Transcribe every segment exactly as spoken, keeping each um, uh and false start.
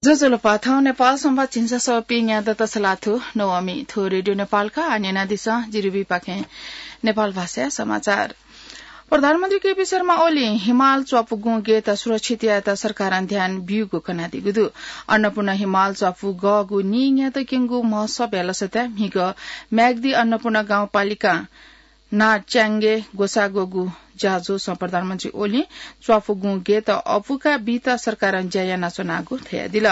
ज्वजलपा, थौं नेपाल संवाद झिंछसः पिंन्यादँ तछलाथु नवमी। थ्व रेडियो नेपालया न्यनादिसँ, जिरुबीपाखें नेपाल भाषाया समाचार। प्रधानमन्त्री केपी शर्मा ओलीं हिमाल च्वापुगुं गेत सुरक्षित यायेत सरकारं ध्यान ब्यूगु कनादीगु दु। अन्नपूर्ण हिमाल च्वापु गःगु नीन्यादँ क्यंगु महोत्सवया लसताय् म्हिगः म्याग्दी अन्नपूर्ण गाउँपालिकां नाच्याङ्गे ग्वसाः ग्वःगु ज्याझ्वलय् प्रधानमन्त्री ओलीं च्वापुगुं गेत अपुका बीत सरकारं ज्या यानाच्वनागु धयादिल।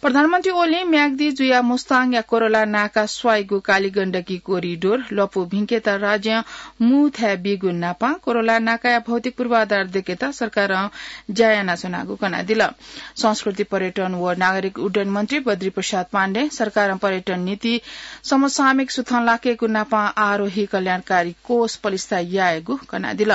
प्रधानमन्त्री ओलीं म्याग्दी जुयाः मुस्ताङया कोरोला नाका स्वाइगु कालीगण्डकी कोरिडोर लँपु भिंकेत राज्यं मू थाय् बीगु नापं कोरोला नाकाया भौतिक पूर्वाधार दयेकेत सरकारं ज्या यानाच्वनागु कनादिल। संस्कृति, पर्यटन व नागरिक उड्डयन मन्त्री बद्री प्रसाद पाण्डें सरकारं पर्यटन नीति समसामयिक सुथं लाकेगु नापं आरोही कल्याणकारी कोष पलिस्था यायेगु कनादिल।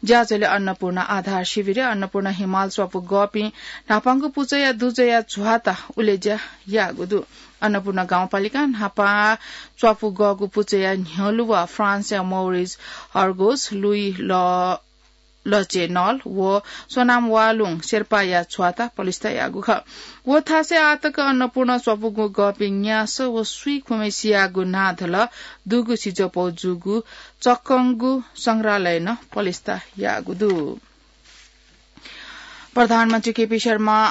ज्याझ्वलय् अन्नपूर्ण आधार शिविरय् अन्नपूर्ण हिमाल च्वापु गःपिं न्हापांगु पुचःया दुजःया झ्वाता उलेज्या याःगु दु। अन्नपूर्ण गाउँपालिकां न्हापा च्वापु गःगु पुचःया न्ह्यलुवा फ्रान्सया मौरिज हर्गोस, लुई ल लचे नल व सोनाम वालुङ शेर्पाया झ्वाता पलिस्था याःगु खः। व थासय् आःतक अन्नपूर्ण च्वापुगु गःपिं न्यासः व स्वीखुम्हेसियागु नाधल दुगु सिजःपौ जूगु चक्कंगु संग्रहालयं नं पलिस्था याःगु दु। प्रधानमन्त्री केपी शर्मा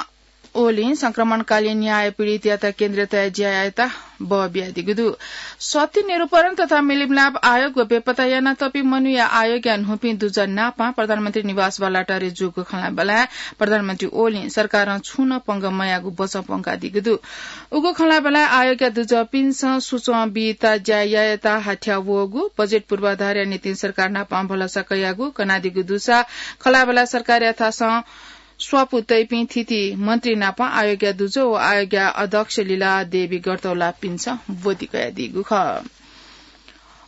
ओलीं संक्रमणकालीन न्याय पीडितयात केन्द्रीय तयाः ज्या यायेत बः बियादीगु दु। सत्य निरूपण तथा मिलमिलाप आयोग व बेपत्ता यानातःपिं मनूया आयोगया न्हूपिं दुजः नापं प्रधानमन्त्री निवास बालाटारय् जूगु खँल्हाबल्हाय् प्रधानमन्त्री ओलीं सरकारं छुं नं पंगः मयाःगु बचं प्वंकादीगु दु। उगु खँल्हाबल्हाय् आयोगया दुजःपिन्सं सुचं बीत ज्या यायेत हाथ्याः वःगु, बजेट पूर्वाधारया निंतिं सरकार नापं भलसा कयागु कनादीगु दुसा खँल्हाबल्हाय् सरकारया थासं स्वापू तइपिं थीथी मन्त्री नापं आयोगया दुजः व आयोगया अध्यक्ष लीला देवी गर्तौलापिन्सं ब्वति कयादीगु खः।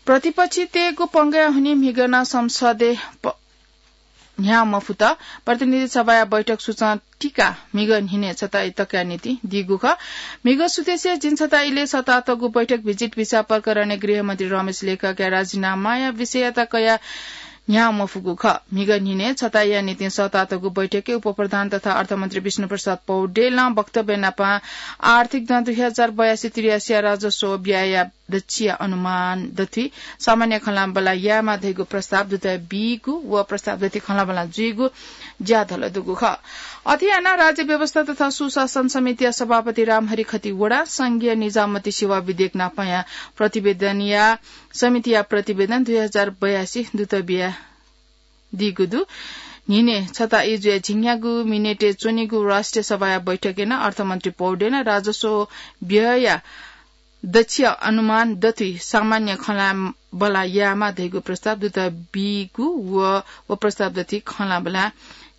प्रतिपक्षतय्गु पंगःया हुनिं म्हिगः नं संसदय् प-, न्ह्याः मफुत। प्रतिनिधि सभाया बैठक सुचं तिकाः म्हिगः न्हिनय् छता तकया निंतिं दीगु खः। म्हिगः सुथसिया झिंछता इलय् सतातःगु बैठक भिजिट भिसा प्रकरणय् गृहमन्त्री रमेश लेखकया राजीनामाया विषययात कयाः न्ह्याः मफुगु खः। म्हिगः न्हिनय् छताया निंतिं सतातःगु बैठकय् उपप्रधान तथा अर्थमन्त्री विष्णुप्रसाद पौडेलं वक्तव्य नापं आर्थिक दँ दुई हजार बयासी त्रियासीया राजस्व व्ययया दच्छिया अनुमान दथुइ सामान्य खँल्हाबल्हा यायेमाः धइगु प्रस्ताव दुतः बीगु व प्रस्ताव दथुइ खँल्हाबल्हा जुइगु ज्याधल दुगु खः। अथे यानाः राज्य व्यवस्था तथा सुशासन समितिया सभापति रामहरि खतिवडां संघीय निजामती सेवा विधेयक नापंया प्रतिवेदनया समितिया प्रतिवेदन दुई हजार बयासी दुतः बियादीगु दु। न्हिनय् छता इजुया झिंन्यागू मिनेटय् च्वनीगु राष्ट्रिय सभाया बैठकय् नं अर्थमन्त्री पौडेलं राजस्व व्ययया दच्छिया अनुमान दथुइ सामान्य खँल्हाबल्हा यायेमाः धइगु प्रस्ताव दुतः बीगु व व प्रस्ताव दथुइ खँल्हाबल्हा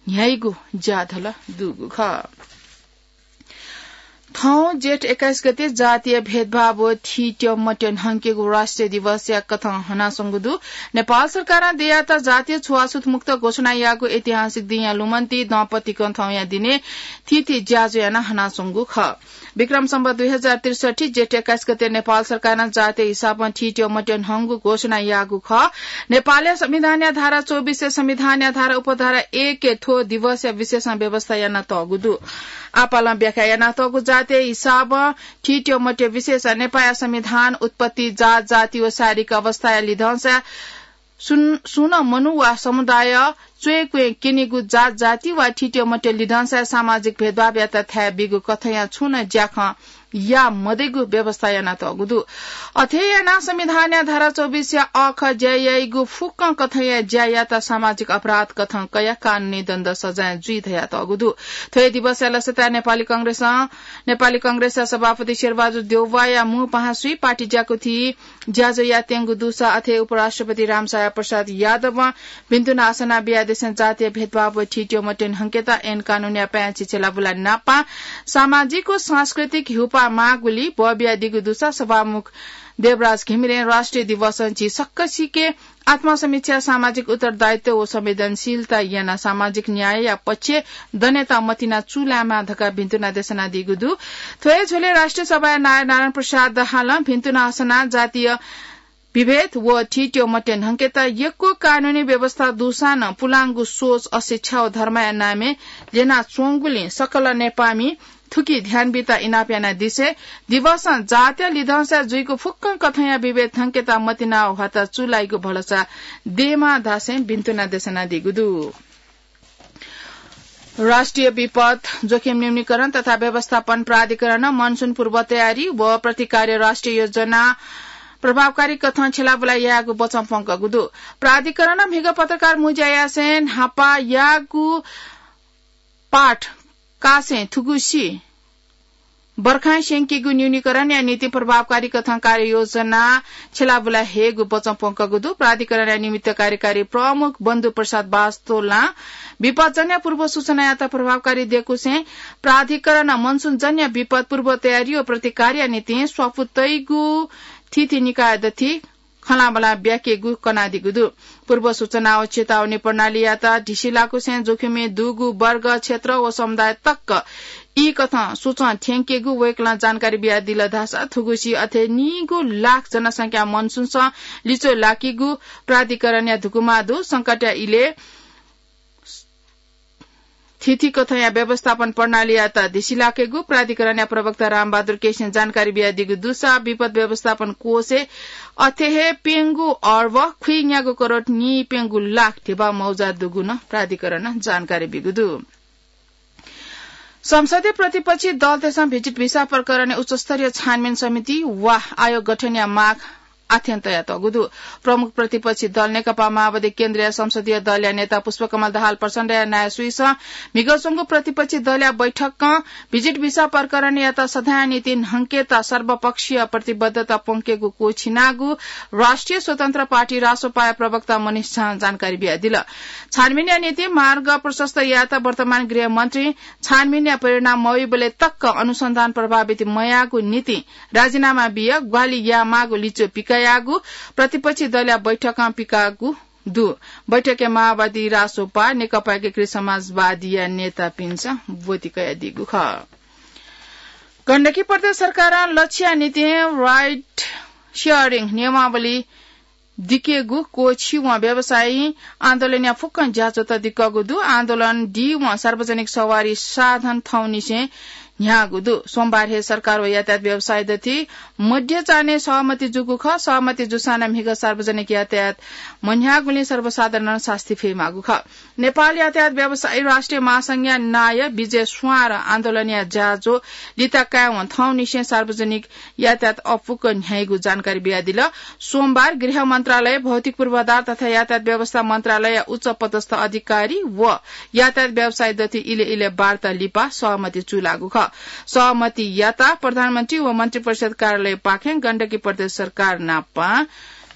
न्ह्याइगु ज्याधल दुगु खः। थौं जेठ एक्काइस गते जातीय भेदभाव व थीत्यः मत्यः न्हंकेगु राष्ट्रिय दिवसया कथं हनाच्वंगु दु। नेपाल सरकारं देय्यात जातीय छुवाछुत मुक्त घोषणा याःगु ऐतिहासिक दिंया लुमन्ति दँपतिकं थौंया दिनय् थीथी ज्याझ्वः यानाः हनाच्वंगु खः। विक्रम सम्वत दुई हजार त्रिसठी जेठ एक्काइस गते नेपाल सरकारं जातीय हिसाबं थीत्यः मत्यः न्हंगु घोषणा याःगु खः। नेपालया संविधानया धारा चौबिसया संविधानया धारा उपधारा एकय् थ्व दिवसया विशेषं व्यवस्था यानातःगु दु। आपालं व्याख्या यानातःगु जातीय हिसाबं थीत्यः मत्यः विशेषं नेपाःया संविधान, उत्पत्ति, जात, जाति व शारीरिक अवस्थाया लिधंसा सुन-, सुं नं मनू वा समुदाय च्वय् क्वय् क्यनीगु जात जाति वा थीत्यः मत्यः लिधंसाया सामाजिक भेदभावयात थाय् बीगु कथंया छुं नं ज्याखँ याये मदइगु व्यवस्था यानातःगु दु। अथे यानाः संविधानया धारा चौबिसया अ ख ज्या याइगु फुक्कं कथंया ज्यायात सामाजिक अपराध कथं कयाः कानूनी दण्ड सजाँय जुइ धयातःगु दु। थ्व हे दिवसया लसताय् नेपाली कांग्रेसं, नेपाली कांग्रेसया सभापति शेरबहादुर देउवाया मू पाहां स्वयाः पार्टी ज्याकुथि ज्याझ्वः यायेत्यंगु दुसा अथे उपराष्ट्रपति रामसहाय प्रसाद यादवं भिन्तुना असना बियादिसें जातीय भेदभाव व थीत्यः मत्यः न्हंकेत ऐन कानूनया पाय्छि छ्यलाबुला नापं सामाजिक व सांस्कृतिक ह्यूपाः माःगुलिं बः बियादीगु दुसा सभामुख देवराज घिमिरें राष्ट्रिय दिवसं झी सकसिके आत्मसमीक्षा, सामाजिक उत्तरदायित्व व संवेदनशीलता यानाः सामाजिक न्यायया पक्षय् दनेत मतिना चूलायेमाः धकाः भिन्तुना देछानादीगु दु। थ्व हे झ्वलय् राष्ट्रिय सभाया नायः नारायण प्रसाद दाहालं भिन्तुना असनाः जातीय विभेद व थीत्यः मत्यः न्हंकेत यक्व कानूनी व्यवस्था दुसां नं पुलांगु सोच, अशिक्षा व धर्मया नामय् ल्यनाच्वंगुलिं सकल नेपाःमि थुकी ध्यान बीत इनाप यानादिसँ। दिवसं जातीय लिधंसा जुइगु फुक्कं कथंया विभेद थंकेत मतिना ह्वात चूलाइगु भलसा देमा धासें बिन्तुना देसनादीगु दु। राष्ट्रिय विपद जोखिम न्यूनीकरण तथा व्यवस्थापन प्राधिकरणं मनसुन पूर्व तयारी व प्रतिकार्य राष्ट्रिय योजना प्रभावकारी कथं छ्यलाबुला यायेगु बचं प्वंकगु दु। प्राधिकरणं म्हिगः पत्रकार मुँज्या यासें न्हापा याःगु पाठ कासें थुगुसी बर्खां स्यंकीगु न्यूनीकरणया निंतिं प्रभावकारी कथं कार्ययोजना छ्यलाबुला हयेगु बचं प्वंकगु दु। प्राधिकरणया निमित्त कार्यकारी प्रमुख बन्धु प्रसाद वास्तोलां विपदजन्य पूर्व सूचनायात प्रभावकारी दयेकुसें प्राधिकरणं मनसुनजन्य विपद पूर्व तयारी व प्रतिकारया निंतिं स्वापू तइगु थीथी निकाय दथी खँल्हाबल्हा ब्याकेगु कनादीगु दु। पूर्व सूचना व चेतावनी प्रणालीयात ढिसि लाकुसें जोखिमय् दुगु वर्ग, क्षेत्र व समुदाय तक ई कथं सूचं थ्यंकेगु वय्कलं जानकारी बियादिल धाःसा थुगुसी अथे नीगू लाख जनसंख्या मनसुनसं लिच्वय् लाकीगु प्राधिकरणया धुकुमा दु। संकटया इलय् थीथी कथंया व्यवस्थापन प्रणालीयात ढिसि लाकेगु प्राधिकरणया प्रवक्ता रामबहादुर केसीं जानकारी बियादीगु दुसा विपद व्यवस्थापन कोषय् अथे हे प्यंगू अर्ब खुइन्यागू करोड नीप्यंगू लाख धिबा मौजा दुगु नं प्राधिकरणं जानकारी बीगु दु। संसदीय प्रतिपक्षी दलतय्सं भिजिट भिसा प्रकरणय् उच्चस्तरीय छानबिन समिति वा आयोग गठनया माग आथें तयातःगु दु। प्रमुख प्रतिपक्षी दल नेकपा माओवादी केन्द्रीय संसदीय दलया नेता पुष्पकमल दाहाल प्रचण्डया नायःसुइसं म्हिगः च्वंगु प्रतिपक्षी दलया बैठकं भिजिट भिसा प्रकरणयात सदांया निंतिं न्हंकेत सर्वपक्षीय प्रतिबद्धता प्वंकेगु क्वःछिनागु राष्ट्रिय स्वतन्त्र पार्टी रासोपाया प्रवक्ता मनिष झां जानकारी बियादिल। छानबिनया निंतिं मार्ग प्रशस्त यायेत वर्तमान गृहमन्त्री छानबिनया परिणाम मवइबलय् तक अनुसन्धान प्रभावित मयाःगु निंतिं राजीनामा बियाः ग्वाहालि यायेमाःगु लिच्वः पिकयाःगु प्रतिपक्षी दलया बैठकं पिकाःगु दु। बैठकय् माओवादी, रासोपा, नेकपा एकीकृत समाजवादीया नेतापिन्सं ब्वति कयादीगु खः। गण्डकी प्रदेश सरकारं लच्छिया निंतिं राइड सेयरिङ नियमावली दिकेगु क्वःछिवं व्यवसायीं आन्दोलनया फुक्कं ज्याझ्वःत दिकःगु दु। आन्दोलन दीवं सार्वजनिक सवारी साधन थौंनिसें न्ह्याःगु दु। सोमबार हे सरकार व यातायात व्यवसायी दथुइ मध्य चान्हय् सहमति जूगु खः। सहमति जूसां नं म्हिगः सार्वजनिक यातायात मन्ह्याःगुलिं सर्वसाधारणं सास्ती फयेमाःगु खः। नेपाल यातायात व्यवसायी राष्ट्रिय महासंघया नायः विजय स्वांर आन्दोलनया ज्याझ्वः लिता कायेवं थौंनिसें सार्वजनिक यातायात अःपुक न्ह्याइगु जानकारी बियादिल। सोमबार गृह मन्त्रालय, भौतिक पूर्वाधार तथा यातायात व्यवस्था मन्त्रालयया उच्च पदस्थ अधिकारी व यातायात व्यवसायी दथुइ इलय् इलय् वार्ता लिपा सहमति चूलाःगु खः। सहमति याताः प्रधानमन्त्री व मन्त्रिपरिषद कार्यालयपाखें गण्डकी प्रदेश सरकार नाप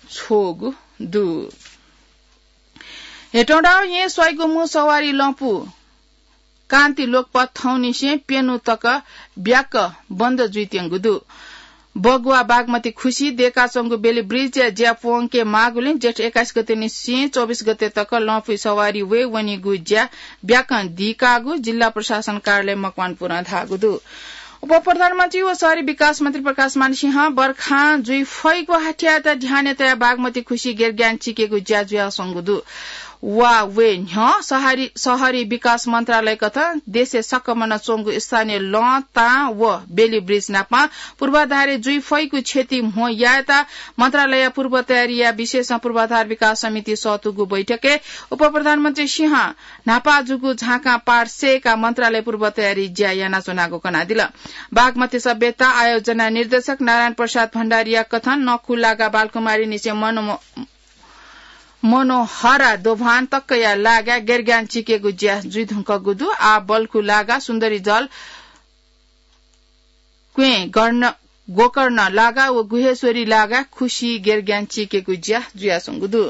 छ्वःगु दु। हेटौंडाः येँ स्वाइगु मू सवारी लँपु कान्ति लोकपथ थौंनिसें प्यन्हु तक ब्याक बन्द जुइत्यंगु दु। बगुवा बागमती खुसि दय्काच्वंगु बेली ब्रिजया ज्या प्वंके माःगुलिं जेठ एक्काइस गते निसें चौबिस गते तक लँपुइ सवारी वये वनीगु ज्या ब्याकं दीकाःगु जिल्ला प्रशासन कार्यालय मकवानपुरं धाःगु दु। उपप्रधानमन्त्री व शहरी विकास मन्त्री प्रकाशमान सिंहं बर्खां जुइ फइगु हाथ्याःयात ध्यानय् तयाः बागमती खुसि गेरग्यान चिकेगु ज्या जुयाच्वंगु दु। वा वये न्ह्यः शहरी, शहरी विकास मन्त्रालय कथं देशय् सकमनं च्वंगु स्थानीय लँ, तां व बेली ब्रिज नाप पूर्वाधारय् जुइ फइगु क्षति म्हो यायेत मन्त्रालयया पूर्व तयारीया विषयसं पूर्वाधार विकास समिति सःतूगु बैठकय् उपप्रधानमन्त्री सिंहं न्हापा जूगु झाँकां पार सय्काः मन्त्रालय पूर्व तयारी ज्या यानाच्वनागु कनादिल। बागमती सभ्यता आयोजना निर्देशक नारायण प्रसाद भण्डारीया कथं नखु लागा बालकुमारीनिसें मनो-, मनोहरा दोभान तकया लागा गेरग्यान चिकेगु ज्या जुइधुंकूगु दु। आः बल्खु लागा सुन्दरी जल क्वें गर्ण, गोकर्ण लागा व गुहेश्वरी लागा खुसि गेरग्यान चिकेगु ज्या जुयाच्वंगु दु।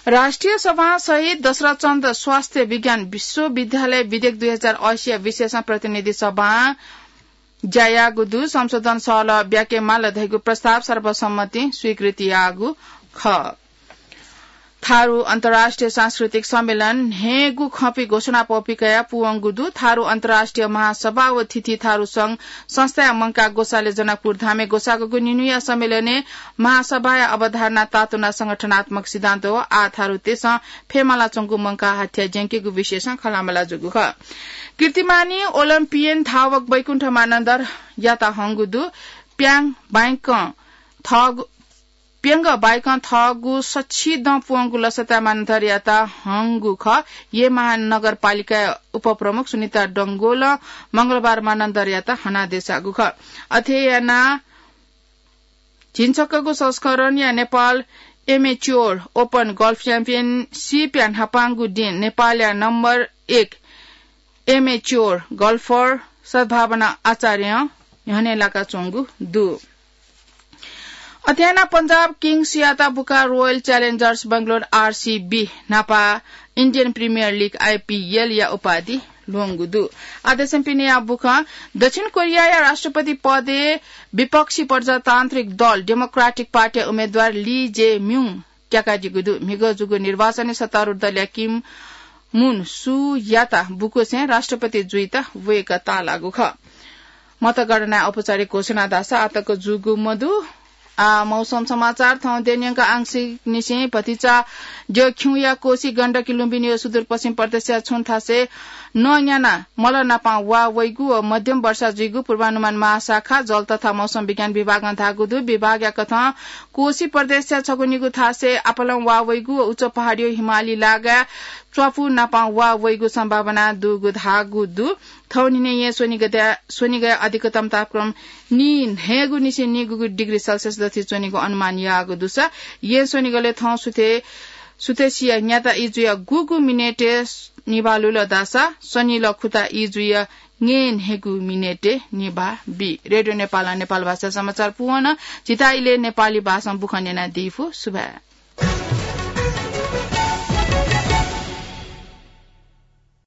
राष्ट्रिय सभां सहित दशरथ चन्द स्वास्थ्य विज्ञान विश्वविद्यालय विधेयक दुई हजार असी या विषयसं प्रतिनिधि सभां ज्या याःगु दु। संशोधन सहलह ब्याके माल धइगु प्रस्ताव सर्वसम्मतिं स्वीकृति याःगु खः। थारु अन्तर्राष्ट्रिय सांस्कृतिक सम्मेलन न्हय्गु खँपि घोषणा पौपिकया पुवंगु दु। थारु अन्तर्राष्ट्रिय महासभा व थिथि थारु संघ संस्थाया मंकाः ग्वसालय् जनकपुर धामय् ग्वसाःगु निन्हुया सम्मेलनय् महासभाया अवधारणा तातुना संगठनात्मक सिद्धान्त व आः थारुतय्सं फयेमालाच्वंगु मंकाः हाथ्या ज्यंकेगु विषयसं खँल्हाबल्हा जूगु खः। कीर्तिमानी ओलम्पियन धावक वैकुण्ठ मानन्धरयात हंगु दु। प्याङ बाइकं थःगु प्यंग बाइकं थःगु सच्छिदँ पुवंगु लसताय् मानन्धरयात हंगु खः। येँ महानगरपालिकाया उपप्रमुख सुनिता डंगोलं मंगलबार मानन्धरयात हनादेसाःगु खः। अथे यानाः झिंछक्कगु संस्करणया नेपाल एमेच्योर ओपन गल्फ च्याम्पियनसिपया न्हापांगु दिं नेपालया नम्बर एक एमेच्योर गल्फर सद्भावना आचार्यं न्ह्यःने लाकाच्वंगु दु। अथे यानाः पञ्जाब किङ्सयात बुकाः रोयल च्यालेन्जर्स बेंगलोर आरसीबी न्हापा इन्डियन प्रिमियर लिग आइपीएलया उपाधि ल्वंगु दु। आः देशम्ह पिनेया बुखँ दक्षिण कोरियाया राष्ट्रपति पदय् विपक्षी प्रजातान्त्रिक दल डेमोक्रेटिक पार्टीया उम्मेद्वार ली जे म्युङ त्याकादीगु दु। म्हिगः जूगु निर्वाचनय् सत्तारूढ दलया किम मुन सुयात बुकुसें राष्ट्रपति जुइत वय्कः ताःलाःगु खः। मतगणनाया औपचारिक घोषणा धाःसा आःतक जूगु मदु। आः मौसम समाचार। थौं देय्‌न्यंक आंशिक निसें भतिचा द्यःखिउँया कोशी गण्डकी लुम्बिनीया सुदूरपश्चिम प्रदेशया छुं थासय् नं न्यानाः मल नापं वा वइगु व मध्यम वर्षा जुइगु पूर्वानुमान महाशाखा जल तथा मौसम विज्ञान विभागं धाःगु दु। विभागया कथं कोशी प्रदेशया छगू निगू थासय् आपालं वा वइगु व उच्च पहाडीया हिमाली लागाय् च्वापु नापं वा वइगु सम्भावना दुगु धाःगु दु। थौंनिने येँ स्वनिगलय् अधिकतम तापक्रम नीन्हय्गु निसें नीगुगु डिग्री सेल्सियस दथुइ च्वनीगु अनुमान याःगु दुसा येँ स्वनिगलय् थौं सुथय् सुथसिया न्याता ई जुयाः गुगु मिनेटय् निभाः लुल धाःसा स्वनिल खुता ई जुयाः न्हय्न्हय्गु मिनेटय् निभाः बी। रेडियो नेपालं नेपाल भाषा समाचार पूवन। झीत इलय् नेपाली भाषां बुखँ न्यनादीफु। सुभाय्।